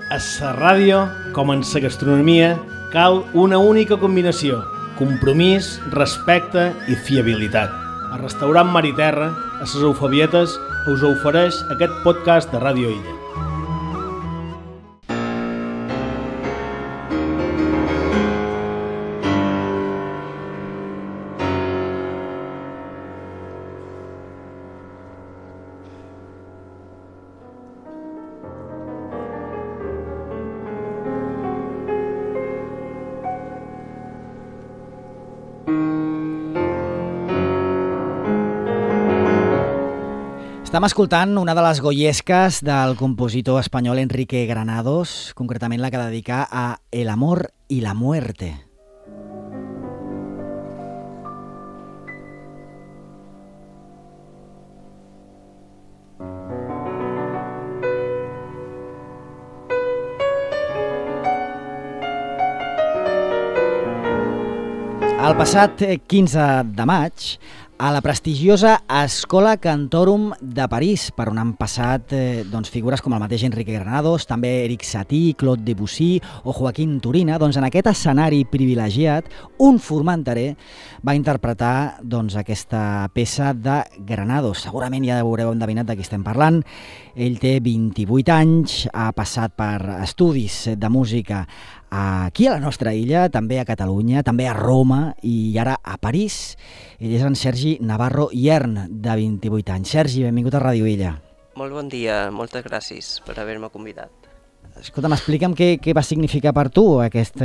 A la ràdio, com en la gastronomia, cal una única combinació: compromís, respecte i fiabilitat. El restaurant Mar i Terra, a les Eufabietes, us ofereix aquest podcast de Ràdio Illa. Estem escoltant una de les goyesques del compositor espanyol Enrique Granados, concretament la que dedica a El amor y la muerte. El passat 15 de maig, a la prestigiosa Escola Cantorum de París, per on han passat figures com el mateix Enrique Granados, també Eric Satie, Claude Debussy o Joaquín Turina, en aquest escenari privilegiat, un formenterer va interpretar aquesta peça de Granados. Segurament ja haureu endevinat de qui estem parlant. Ell té 28 anys, ha passat per estudis de música aquí a la nostra illa, també a Catalunya, també a Roma i ara a París. Ell és en Sergi Navarro Iern, de 28 anys. Sergi, benvingut a Ràdio Illa. Molt bon dia, moltes gràcies per haver-me convidat. Escolta'm, explica'm què va significar per tu aquest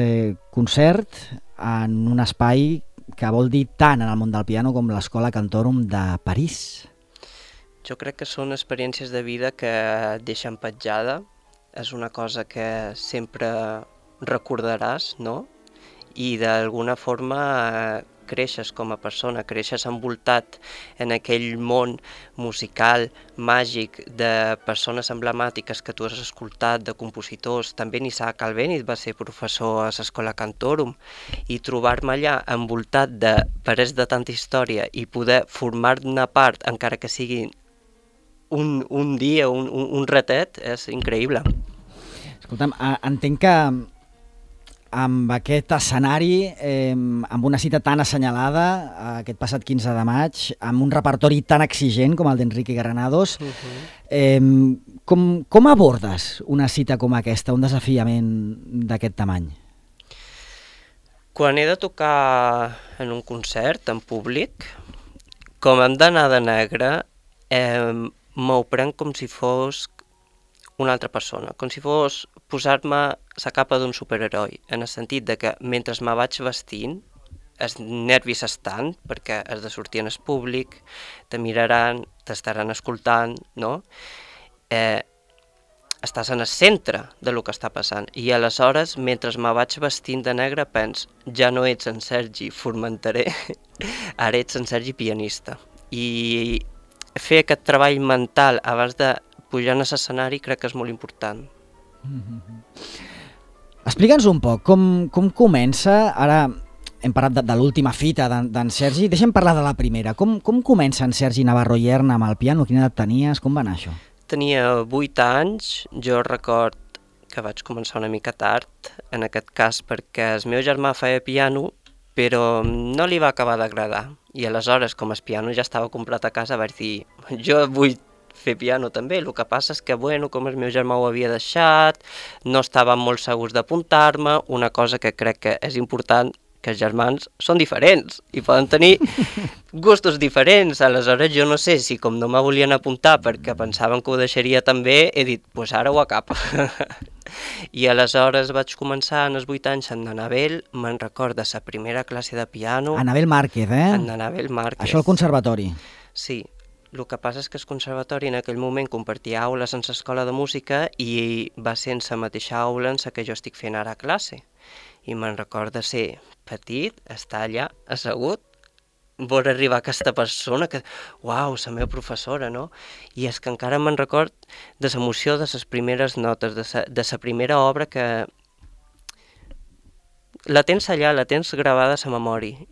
concert en un espai que vol dir tant en el món del piano com l'Escola Cantorum de París. Jo crec que són experiències de vida que et deixen petjada. És una cosa que sempre recordaràs, no? I d'alguna forma creixes com a persona, creixes envoltat en aquell món musical, màgic, de persones emblemàtiques que tu has escoltat, de compositors. També Isaac Albéniz va ser professor a l'Escola Cantorum, i trobar-me allà envoltat de parets de tanta història i poder formar-ne part, encara que sigui un dia, un ratet, és increïble. Escolta'm, entenc que amb aquest escenari, amb una cita tan assenyalada, aquest passat 15 de maig, amb un repertori tan exigent com el d'Enrique Granados, com abordes una cita com aquesta, un desafiament d'aquest tamany? Quan he de tocar en un concert, en públic, com hem d'anar de negre, m'ho prenc com si fos una altra persona, com si fos posar-me la capa d'un superheroi, en el sentit de que mentre me vaig vestint, els nervis estan, perquè has de sortir en el públic, te miraran, t'estaran escoltant, no? Estàs en el centre de lo que està passant, i aleshores, mentre me vaig vestint de negre, pens, ja no ets en Sergi formenterer, ara ets en Sergi pianista. I fer aquest treball mental abans de pujar a l'escenari crec que és molt important. Explica'ns un poc, com comença, ara hem parlat de l'última fita d'en Sergi, deixa'm parlar de la primera. Com comença en Sergi Navarro Iern amb el piano? Quina edat tenies? Com va anar això? Tenia 8 anys, jo record que vaig començar una mica tard, en aquest cas perquè el meu germà feia piano, però no li va acabar d'agradar. I aleshores, com el piano ja estava comprat a casa, vaig dir, jo vull fer piano també, el que passa és que, com el meu germà ho havia deixat, no estàvem molt segurs d'apuntar-me, una cosa que crec que és important, que els germans són diferents i poden tenir gustos diferents. Aleshores jo no sé si com no me volien apuntar perquè pensaven que ho deixaria també, he dit, doncs ara ho acaba. I aleshores vaig començar en els 8 anys amb Anabel, me'n recorda la primera classe de piano. Anabel Márquez, Anabel Márquez. Això al conservatori. Sí. El que passa és que el conservatori en aquell moment compartia aules en l'escola de música i va ser en la mateixa aula en la que jo estic fent ara classe. I me'n recorda ser petit, estar allà assegut, veure arribar aquesta persona que, uau, la meva professora, no? I és que encara me'n record de l'emoció de les primeres notes, de la primera obra que la tens allà, la tens gravada a la memòria.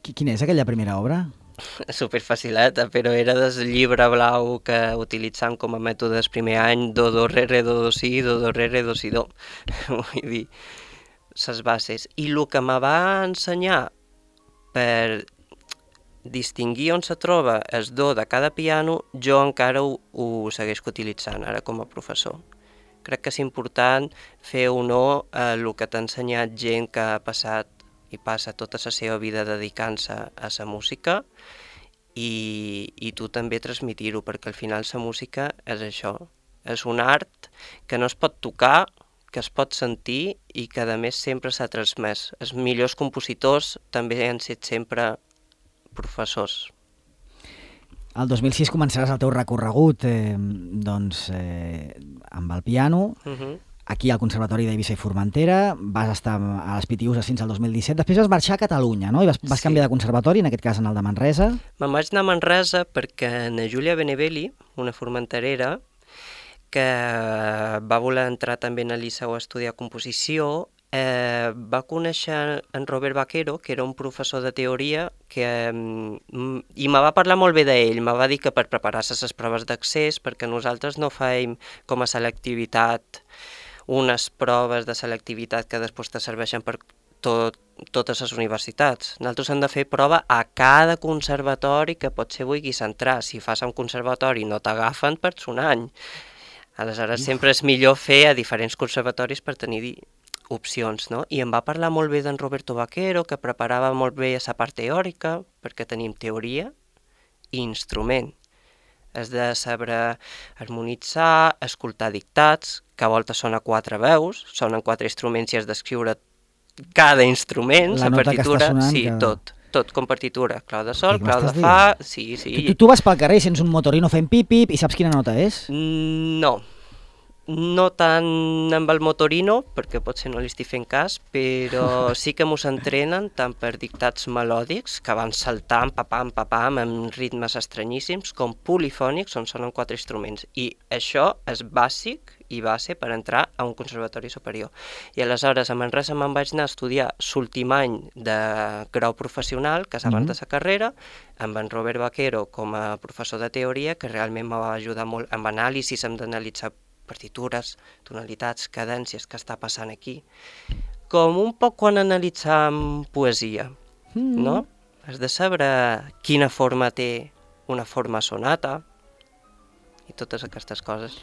Quina és aquella primera obra? Superfacileta, però era del llibre blau que utilitzant com a mètodes primer any, do, re, do, si, do, re, do, si, do. Vull dir, les bases. I el que me va ensenyar per distingir on se troba el do de cada piano, jo encara ho segueixo utilitzant ara com a professor. Crec que és important fer honor a el que t'ha ensenyat gent que ha passat i passa tota la seva vida dedicant-se a la música i tu també transmitir-ho, perquè al final la música és això, és un art que no es pot tocar, que es pot sentir i que a més sempre s'ha transmès. Els millors compositors també han estat sempre professors. El 2006 començaràs el teu recorregut amb el piano, aquí al Conservatori d'Eivissa i Formentera, vas estar a les Pitiüses fins al 2017, després vas marxar a Catalunya, no? I vas canviar de conservatori, en aquest cas en el de Manresa. Me'n vaig anar a Manresa perquè na Júlia Benevelli, una formenterera, que va voler entrar també en el Liceu a estudiar composició, va conèixer en Robert Vaquero, que era un professor de teoria, i me va parlar molt bé d'ell, me va dir que per preparar-se les proves d'accés, perquè nosaltres no fèiem com a selectivitat unes proves de selectivitat que després te serveixen per totes les universitats. Nosaltres hem de fer prova a cada conservatori que potser vulguis entrar. Si fas a un conservatori no t'agafen, perds un any. Aleshores sempre és millor fer a diferents conservatoris per tenir opcions, no? I em va parlar molt bé d'en Roberto Vaquero, que preparava molt bé la part teòrica, perquè tenim teoria i instrument. Has de saber harmonitzar, escoltar dictats, que a voltes són a 4 veus, són en 4 instruments i has d'escriure cada instrument, la partitura, sí, tot com partitura, clau de sol, clau de fa, sí. Tu vas pel carrer i sents un motorino fent pip-pip i saps quina nota és? No tant amb el motorino, perquè potser no li estic fent cas, però sí que mos entrenen tant per dictats melòdics, que van saltant, papam, amb ritmes estranyíssims, com polifònics, on sonen 4 instruments. I això és bàsic i base per entrar a un conservatori superior. I aleshores a Manresa me'n vaig anar a estudiar l'últim any de grau professional, que és abans de la carrera, amb en Robert Vaquero com a professor de teoria, que realment me va ajudar molt amb anàlisis, hem d'analitzar partitures, tonalitats, cadències, que està passant aquí. Com un poc quan analitzam poesia, no? Has de saber quina forma té una forma sonata i totes aquestes coses.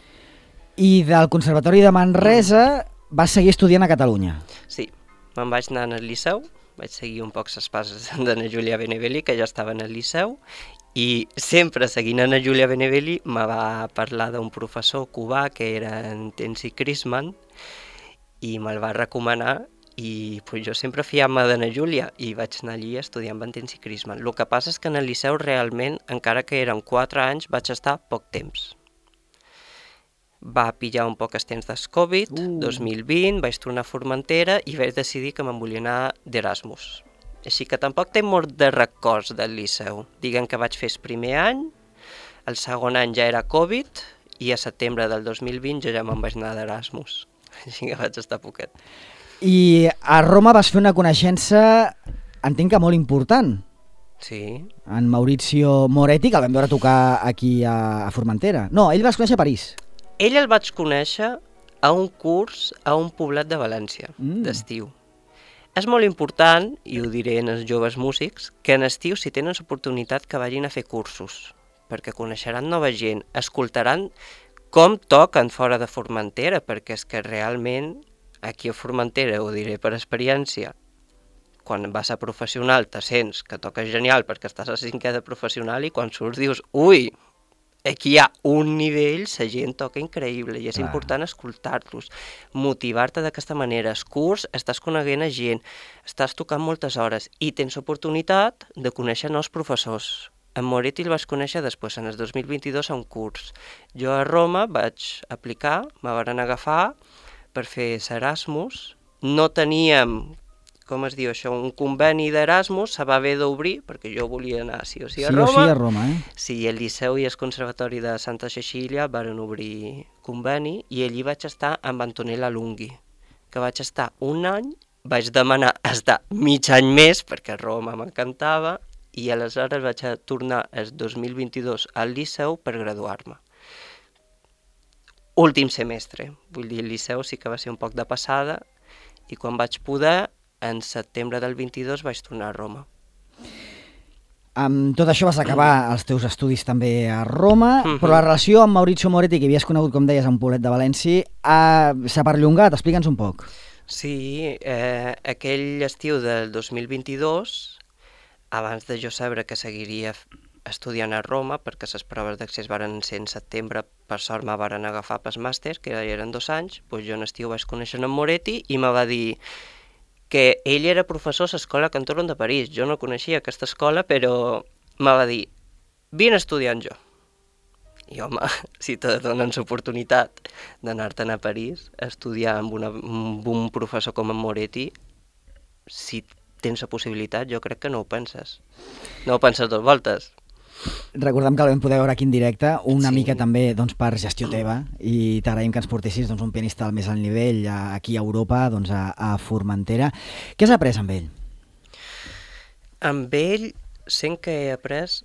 I del Conservatori de Manresa vas seguir estudiant a Catalunya? Sí, me'n vaig anar al Liceu, vaig seguir un poc les passes d'Anna Júlia Benevelli, que ja estava en el Liceu, i sempre seguint Anna Júlia Benevelli me va parlar d'un professor cubà que era en Tensi Crisman i me'l va recomanar i pues, jo sempre fiam-me d'Anna Júlia i vaig anar allí a estudiar amb en Tensi Crisman. El que passa és que en el Liceu realment, encara que eren 4 anys, vaig estar poc temps. Va pillar un poc el temps del Covid, 2020, vaig tornar a Formentera i vaig decidir que me'n volia anar d'Erasmus. Així que tampoc tinc molt de records del Liceu. Diguem que vaig fer el primer any, el segon any ja era Covid i a setembre del 2020 jo ja me'n vaig anar d'Erasmus. Així que vaig estar poquet. I a Roma vas fer una coneixença, entenc que molt important. Sí. En Maurizio Moretti, que el vam veure tocar aquí a Formentera. No, ell vas conèixer a París. Ell el vaig conèixer a un curs a un poblat de València, d'estiu. És molt important, i ho diré als joves músics, que en estiu, si tenen l'oportunitat, que vagin a fer cursos, perquè coneixeran nova gent, escoltaran com toquen fora de Formentera, perquè és que realment, aquí a Formentera, ho diré per experiència, quan vas a professional te sents que toques genial perquè estàs a 5è de professional i quan surts dius, ui, aquí hi ha un nivell, la gent toca increïble i és important escoltar-los, motivar-te d'aquesta manera. El curs, estàs coneguent a gent, estàs tocant moltes hores i tens oportunitat de conèixer nous professors. En Moretti el vaig conèixer després, en el 2022, a un curs. Jo a Roma vaig aplicar, me van agafar per fer l'Erasmus. No teníem, com es diu això, un conveni d'Erasmus, se va haver d'obrir, perquè jo volia anar sí o sí a Roma. Sí o sí a Roma, Sí, el Liceu i el Conservatori de Santa Cecília van obrir conveni i allí vaig estar amb Antonella Lunghi, que vaig estar un any, vaig demanar estar mig any més, perquè a Roma m'encantava, i aleshores vaig a tornar el 2022 al Liceu per graduar-me. Últim semestre, vull dir, el Liceu sí que va ser un poc de passada i quan vaig poder, en setembre del 22 vaig tornar a Roma. Amb tot això vas acabar els teus estudis també a Roma, però la relació amb Maurizio Moretti, que havies conegut, com deies, a un poblet de València, s'ha perllongat. Explica'ns un poc. Sí, aquell estiu del 2022, abans de jo saber que seguiria estudiant a Roma, perquè les proves d'accés varen ser en setembre, per sort me varen agafar pels màsters, que eren 2 anys, doncs jo en estiu vaig conèixer en Moretti i me va dir que ell era professor a l'Escola Cantorum de París. Jo no coneixia aquesta escola, però me va dir, vine estudiant jo. I home, si te donen l'oportunitat d'anar-te'n a París a estudiar amb un professor com en Moretti, si tens la possibilitat, jo crec que no ho penses. No ho penses 2 voltes. Recordem que el vam poder veure aquí en directe, una mica també per gestió teva, i t'agraïm que ens portessis un pianista al més alt nivell aquí a Europa, a Formentera. Què has après amb ell? Amb ell sent que he après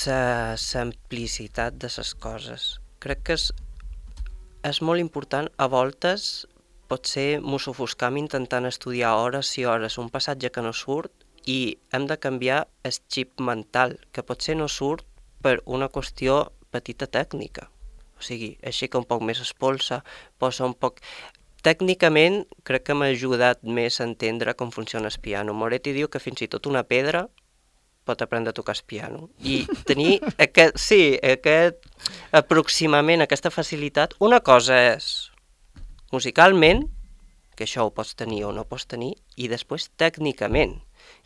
la simplicitat de les coses. Crec que és molt important, a voltes potser mos ofuscam intentant estudiar hores i hores un passatge que no surt i hem de canviar el xip mental, que potser no surt per una qüestió petita tècnica. O sigui, aixeca un poc més espolsa, posa un poc... Tècnicament crec que m'ha ajudat més a entendre com funciona el piano. Moretti diu que fins i tot una pedra pot aprendre a tocar el piano. I tenir aquest aproximament, aquesta facilitat, una cosa és musicalment, que això ho pots tenir o no pots tenir, i després tècnicament,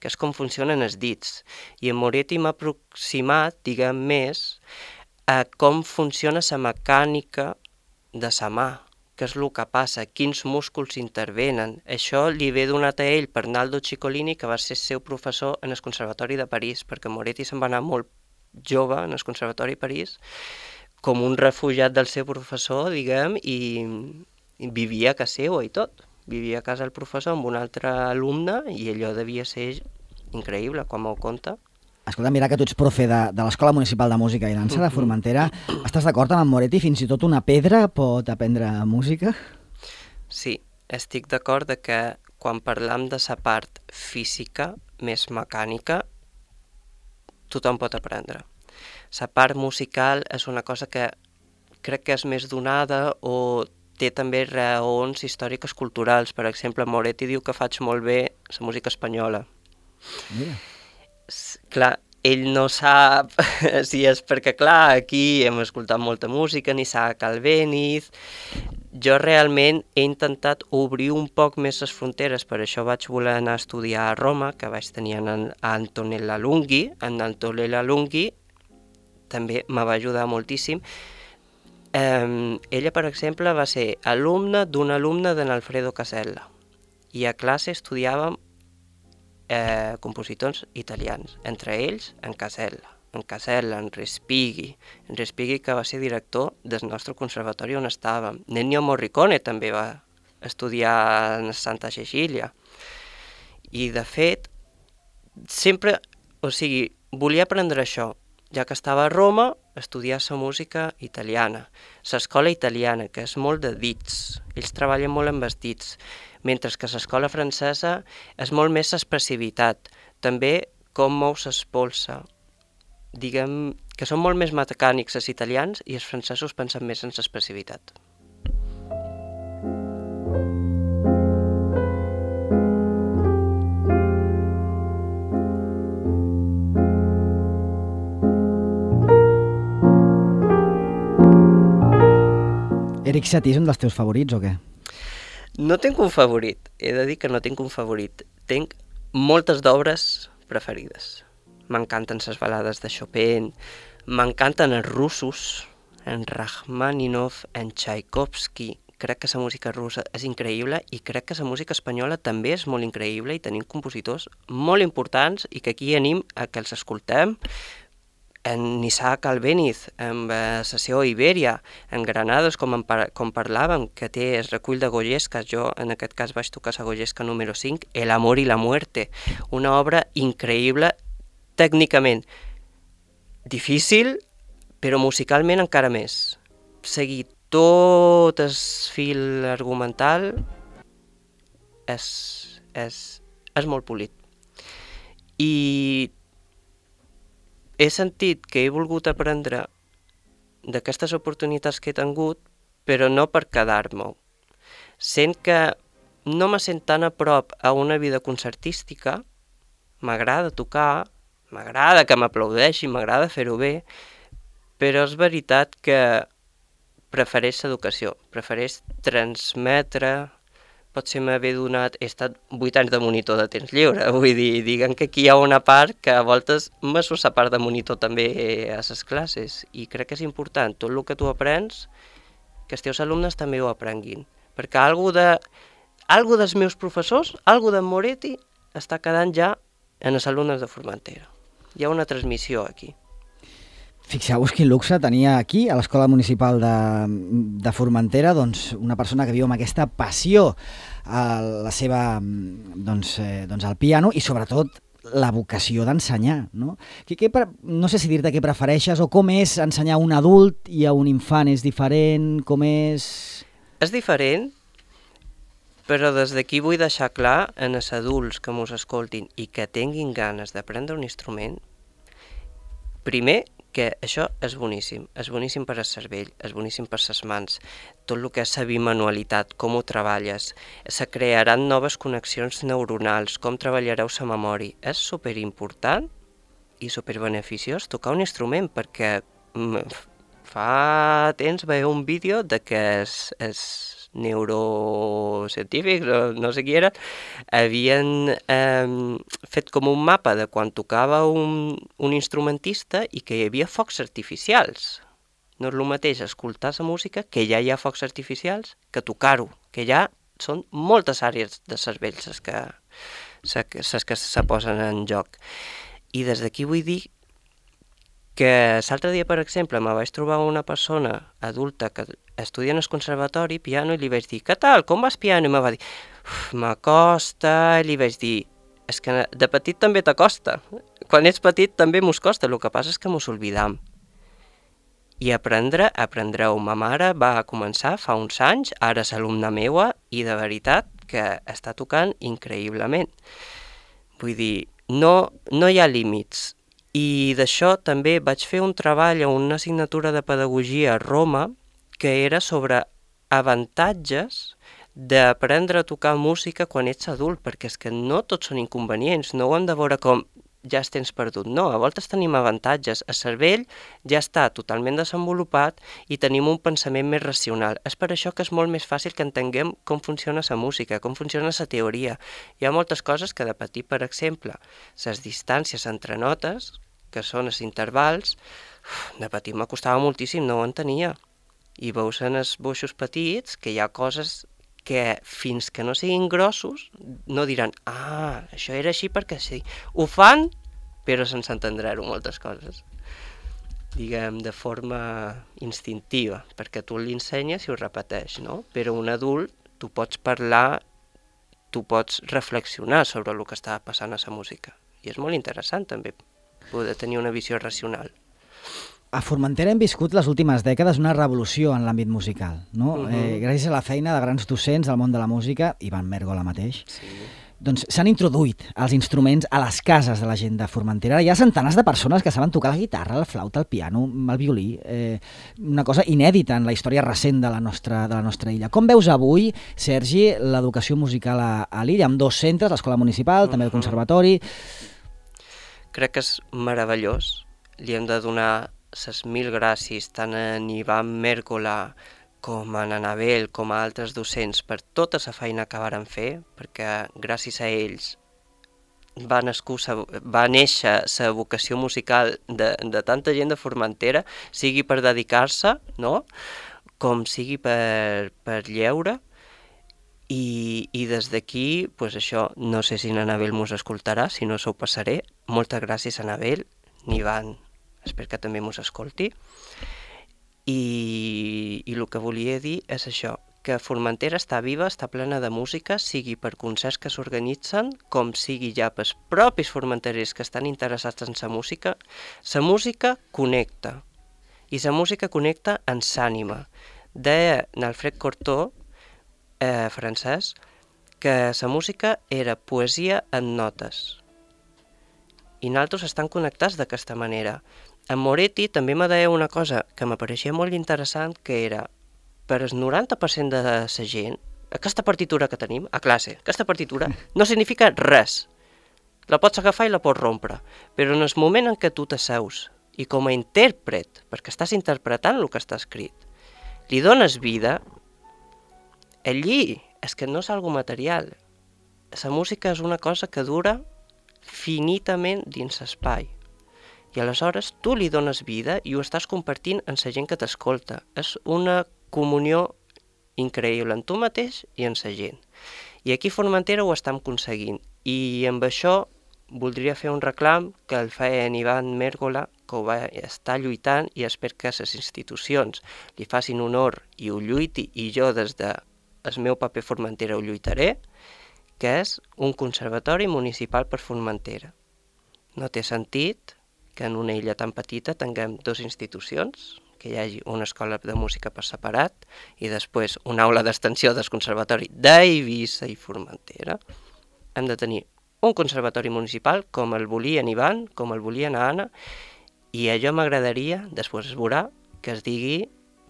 que és com funcionen els dits. I en Moretti m'ha aproximat, diguem més, a com funciona la mecànica de la mà, què és el que passa, quins músculs intervenen. Això li ve donat a ell per Naldo Ciccolini, que va ser el seu professor en el Conservatori de París, perquè Moretti se'n va anar molt jove en el Conservatori de París, com un refugiat del seu professor, diguem, i vivia a casa seva i tot. Vivia a casa del professor amb un altre alumne i allò devia ser increïble, quan m'ho conta. Escolta, mira que tu ets profe de l'Escola Municipal de Música i Dansa de Formentera. Estàs d'acord amb en Moretti? Fins i tot una pedra pot aprendre música? Sí, estic d'acord que quan parlam de la part física, més mecànica, tothom pot aprendre. La part musical és una cosa que crec que és més donada o té també raons històriques culturals. Per exemple, Moretti diu que faig molt bé la música espanyola. Mira. Clar, ell no sap si és perquè, clar, aquí hem escoltat molta música, ni Isaac Albéniz. Jo realment he intentat obrir un poc més les fronteres, per això vaig voler anar a estudiar a Roma, que vaig tenir en Antonella Lunghi. En Antonella Lunghi també me va ajudar moltíssim. Ella, per exemple, va ser alumna d'un alumne d'en Alfredo Casella i a classe estudiàvem compositors italians, entre ells en Casella, en Respighi, que va ser director del nostre conservatori on estàvem. Ennio Morricone també va estudiar en Santa Cecilia. I de fet, sempre, volia aprendre això. Ja que estava a Roma, estudiar la música italiana, l'escola italiana, que és molt de dits, ells treballen molt amb els dits, mentre que l'escola francesa és molt més l'expressivitat, també com mous l'espolsa. Diguem que són molt més mecànics els italians i els francesos pensen més en l'expressivitat. Erik Satie és un dels teus favorits o què? No tinc un favorit, he de dir que no tinc un favorit. Tinc moltes d'obres preferides. M'encanten les balades de Chopin, m'encanten els russos, en Rachmaninoff, en Tchaikovsky. Crec que la música russa és increïble i crec que la música espanyola també és molt increïble i tenim compositors molt importants i que aquí anem a que els escoltem. En Isaac Albéniz, en la sessió Ibèria, en Granados, com parlàvem, que té el recull de Goyescas, jo en aquest cas vaig tocar la Goyesca número 5, El amor y la muerte, una obra increïble tècnicament difícil, però musicalment encara més. Seguir tot el fil argumental és molt polit. I he sentit que he volgut aprendre d'aquestes oportunitats que he tingut, però no per quedar-m'ho. Sent que no me sent tan a prop a una vida concertística, m'agrada tocar, m'agrada que m'aplaudeixin, m'agrada fer-ho bé, però és veritat que prefereix l'educació, prefereix transmetre. Potser m'haver donat... He estat 8 anys de monitor de temps lliure, vull dir, diguem que aquí hi ha una part que a voltes m'asso la part de monitor també a les classes, i crec que és important, tot el que tu aprens, que els teus alumnes també ho aprenguin, perquè algú dels meus professors, algú d'en Moretti, està quedant ja en els alumnes de Formentera. Hi ha una transmissió aquí. Fixeu-vos quin luxe tenia aquí, a l'Escola Municipal de Formentera, doncs, una persona que viu amb aquesta passió a la seva, al piano i sobretot la vocació d'ensenyar, no? No sé si dir-te què prefereixes o com és ensenyar a un adult i a un infant. És diferent? Com és? És diferent, però des d'aquí vull deixar clar en els adults que mos escoltin i que tinguin ganes d'aprendre un instrument, primer, que això és boníssim per al cervell, és boníssim per les mans, tot el que és la bimanualitat, com ho treballes, se crearan noves connexions neuronals, com treballareu la memòria. És superimportant i superbeneficiós tocar un instrument, perquè fa temps veia un vídeo de que els neurocientífics, no sé qui era, havien fet com un mapa de quan tocava un instrumentista i que hi havia focs artificials. No és el mateix escoltar la música, que ja hi ha focs artificials, que tocar-ho, que ja són moltes àrees de cervell les que se posen en joc. I des d'aquí vull dir que l'altre dia, per exemple, me vaig trobar una persona adulta que estudia en el conservatori piano i li vaig dir, què tal, com vas piano? I me va dir, m'acosta, i li vaig dir, és que de petit també t'acosta. Quan ets petit també mos costa, el que passa és que mos oblidam. I aprendreu. Ma mare va començar fa uns anys, ara és alumna meua, i de veritat que està tocant increïblement. Vull dir, no hi ha límits. I d'això també vaig fer un treball a una assignatura de pedagogia a Roma que era sobre avantatges d'aprendre a tocar música quan ets adult, perquè és que no tots són inconvenients, no ho hem de veure com ja els tens perdut, no, a voltes tenim avantatges, el cervell ja està totalment desenvolupat i tenim un pensament més racional. És per això que és molt més fàcil que entenguem com funciona la música, com funciona la teoria. Hi ha moltes coses que de petit, per exemple, les distàncies entre notes, que són els intervals, de petit m'acostava moltíssim, no ho entenia. I veus en els boixos petits que hi ha coses que fins que no siguin grossos no diran, això era així perquè sí. Ho fan, però sense entendre-ho moltes coses. Diguem, de forma instintiva, perquè tu l'ensenyes i ho repeteix, no? Però un adult, tu pots parlar, tu pots reflexionar sobre el que està passant a la música. I és molt interessant també poder tenir una visió racional. A Formentera hem viscut les últimes dècades una revolució en l'àmbit musical, no? Gràcies a la feina de grans docents del món de la música, Ivan Mèrgola mateix, doncs s'han introduït els instruments a les cases de la gent de Formentera. Hi ha centenars de persones que saben tocar la guitarra, la flauta, el piano, el violí, una cosa inèdita en la història recent de la nostra illa. Com veus avui, Sergi, l'educació musical a l'illa, amb 2 centres, l'Escola Municipal, també el Conservatori? Crec que és meravellós. Li hem de donar les 1000 gràcies tant a Ivan Mèrgola com a Anabel, com a altres docents, per tota la feina que varen fer, perquè gràcies a ells va néixer la vocació musical de tanta gent de Formentera, sigui per dedicar-se, no? Com sigui per lleure. I des d'aquí, pues això, no sé si Anabel mos escoltarà, si no s'ho passaré. Moltes gràcies, Anabel, Ivan, espero que també mos escolti. I el que volia dir és això, que Formentera està viva, està plena de música, sigui per concerts que s'organitzen, com sigui ja pels propis formenterers que estan interessats en la música connecta. I la música connecta ens ànima. Deia Alfred Cortot, francès, que la música era poesia en notes. I nosaltres estan connectats d'aquesta manera. En Moretti també me deia una cosa que m'apareixia molt interessant, que era, per el 90% de la gent, aquesta partitura que tenim a classe, aquesta partitura no significa res. La pots agafar i la pots rompre, però en el moment en què tu t'asseus i com a intèrpret, perquè estàs interpretant el que està escrit, li dones vida, allí és que no és algo material. La música és una cosa que dura finitament dins l'espai. I aleshores tu li dones vida i ho estàs compartint amb la gent que t'escolta. És una comunió increïble en tu mateix i en la gent. I aquí a Formentera ho estem aconseguint. I amb això voldria fer un reclam que el feia en Ivan Mérgola, que ho va estar lluitant, i espero que les institucions li facin honor i ho lluiti, i jo des del meu paper Formentera ho lluitaré, que és un conservatori municipal per Formentera. No té sentit que en una illa tan petita tinguem dues institucions, que hi hagi una escola de música per separat i després una aula d'extensió del conservatori d'Eivissa i Formentera. Hem de tenir un conservatori municipal com el volien Ivan, com el volien Anna, i allò m'agradaria, després es veurà, que es digui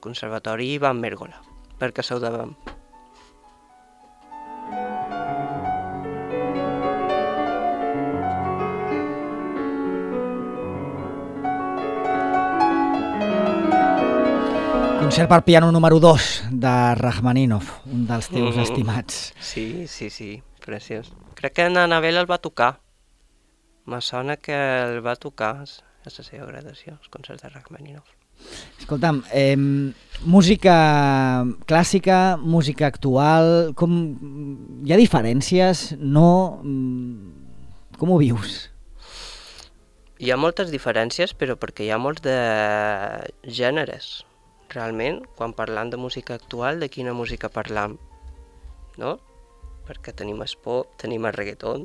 Conservatori Ivan Mérgola, perquè sou davant. Concert per piano número 2 de Rachmaninoff, un dels teus estimats. Sí, preciós. Crec que en Anabel el va tocar. Me sona que el va tocar, és la seva gradació, els concerts de Rachmaninoff. Escolta'm, música clàssica, música actual, hi ha diferències? No? Com ho vius? Hi ha moltes diferències, però perquè hi ha molts de gèneres. Realment, quan parlam de música actual, de quina música parlam? No? Perquè tenim el pop, tenim el reggaeton.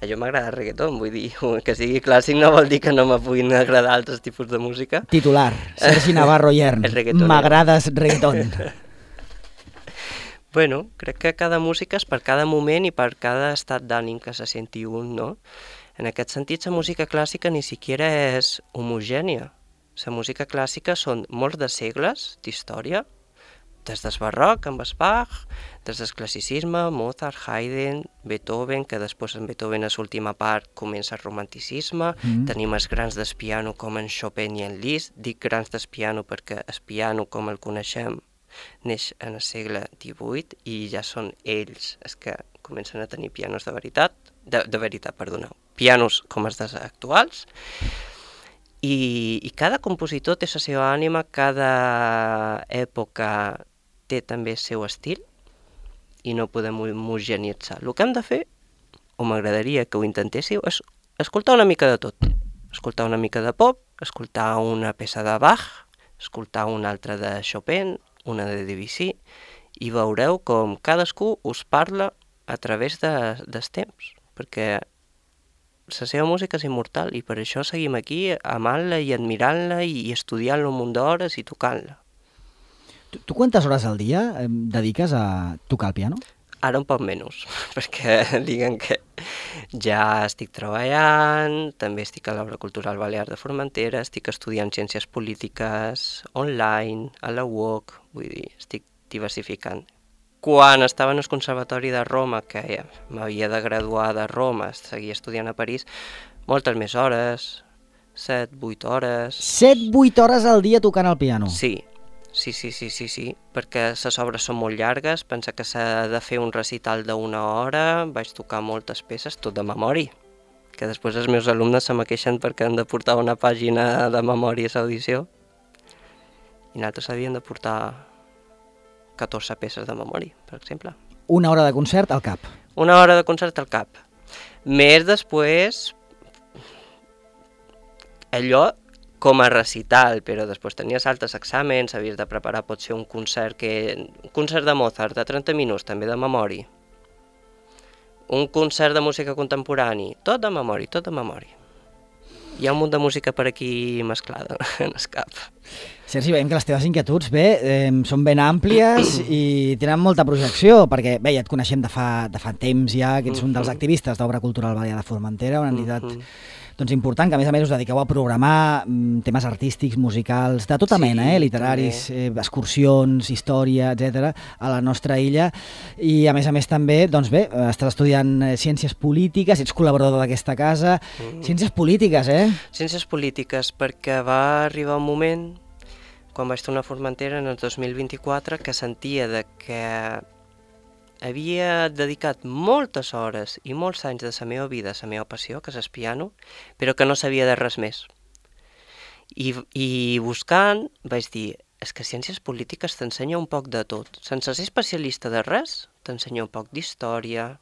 A jo m'agrada el reggaeton, vull dir, que sigui clàssic no vol dir que no me puguin agradar altres tipus de música. Titular, Sergi Navarro Yern, m'agrades reggaeton. Bueno, crec que cada música és per cada moment i per cada estat d'ànim que se senti un, no? En aquest sentit, la música clàssica ni siquiera és homogènia. La música clàssica són molts de segles d'història, des del barroc amb Bach, des del classicisme, Mozart, Haydn, Beethoven, que després en Beethoven a l'última part comença el romanticisme, tenim els grans del piano com en Chopin i en Liszt, dic grans del piano perquè el piano com el coneixem neix en el segle XVIII i ja són ells els que comencen a tenir pianos de veritat, pianos com els dels actuals. I cada compositor té la seva ànima, cada època té també el seu estil i no podem homogeneïtzar. El que hem de fer, o m'agradaria que ho intentéssiu, és escoltar una mica de tot. Escoltar una mica de pop, escoltar una peça de Bach, escoltar una altra de Chopin, una de Debussy, i veureu com cadascú us parla a través dels temps, perquè la seva música és immortal i per això seguim aquí amant-la i admirant-la i estudiant-la un munt d'hores i tocant-la. Tu quantes hores al dia dediques a tocar el piano? Ara un poc menys, perquè diguem que ja estic treballant, també estic a l'Obra Cultural Balear de Formentera, estic estudiant ciències polítiques online, a la UOC, vull dir, estic diversificant. Quan estava en el Conservatori de Roma, que m'havia de graduar de Roma, seguia estudiant a París, moltes més hores, 7-8 hores... 7-8 hores al dia tocant el piano? Sí, perquè les obres són molt llargues, pensa que s'ha de fer un recital d'una hora, vaig tocar moltes peces, tot de memòria, que després els meus alumnes se me queixen perquè han de portar una pàgina de memòria a l'audició, i nosaltres havíem de portar 14 peces de memòria, per exemple. Una hora de concert al cap? Una hora de concert al cap. Més després, allò com a recital, però després tenies altres exàmens, havies de preparar potser un concert de Mozart de 30 minuts, també de memòria. Un concert de música contemporani, tot de memòria, tot de memòria. Hi ha un munt de música per aquí mesclada en el cap. Sergi, veiem que les teves inquietuds són ben àmplies i tenen molta projecció, perquè bé, ja et coneixem de fa temps ja, que ets un dels activistes d'Obra Cultural Balear de Formentera, una entitat important, que a més us dediqueu a programar temes artístics, musicals, de tota mena, literaris, excursions, història, etc., a la nostra illa. I a més també, estàs estudiant Ciències Polítiques, ets col·laborador d'aquesta casa. Ciències Polítiques, Ciències Polítiques, perquè va arribar un moment, quan vaig tornar a Formentera en el 2024, que sentia que havia dedicat moltes hores i molts anys de la meva vida a la meva passió, que és el piano, però que no sabia de res més. I buscant vaig dir, és que Ciències Polítiques t'ensenya un poc de tot. Sense ser especialista de res, t'ensenya un poc d'història,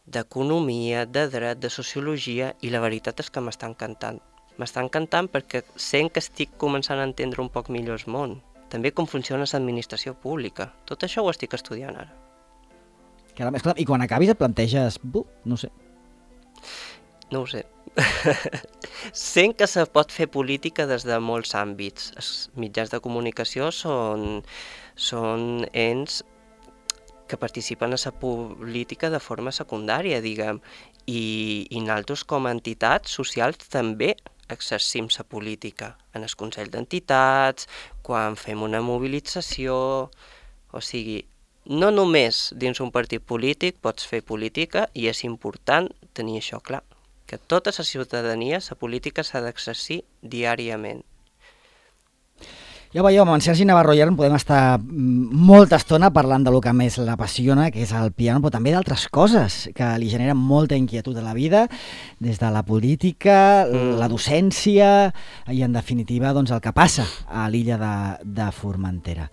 d'economia, de dret, de sociologia, i la veritat és que m'està encantant. M'està encantant perquè sent que estic començant a entendre un poc millor el món. També com funciona l'administració pública. Tot això ho estic estudiant ara. I quan acabis et planteges, no sé. No ho sé. Sent que se pot fer política des de molts àmbits. Els mitjans de comunicació són ens que participen a la política de forma secundària, diguem, i nosaltres com a entitats socials també exercim la política en el Consell d'Entitats, quan fem una mobilització, o sigui, no només dins un partit polític pots fer política, i és important tenir això clar, que tota la ciutadania, la política s'ha d'exercir diàriament. Ja ho veieu, amb en Sergi Navarro i ara podem estar molta estona parlant de lo que més l'apassiona, que és el piano, però també d'altres coses que li generen molta inquietud a la vida, des de la política, la docència i, en definitiva, el que passa a l'illa de Formentera.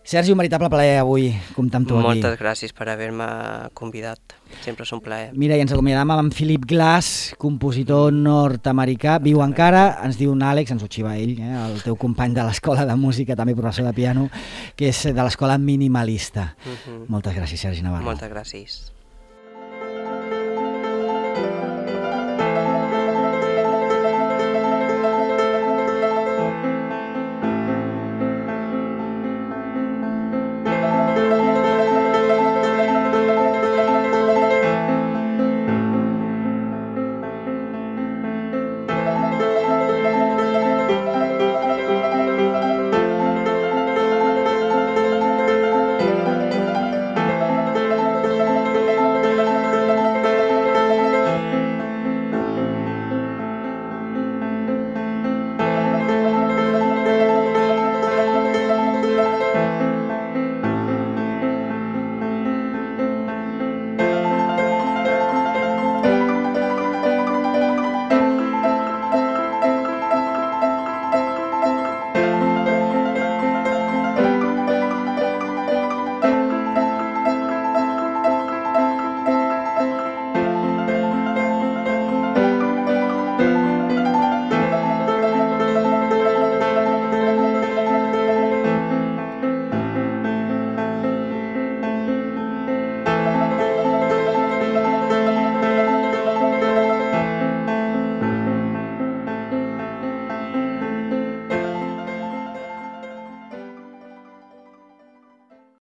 Sergi, un veritable plaer avui comptar amb tu aquí. Moltes gràcies per haver-me convidat. Sempre és un plaer. Mira, i ens acomiadam amb en Philip Glass, compositor nord-americà, viu encara, ens diu un Àlex, ens ho xiva ell, el teu company de l'escola de música, també professor de piano, que és de l'escola minimalista. Moltes gràcies, Sergi Navarro. Moltes gràcies.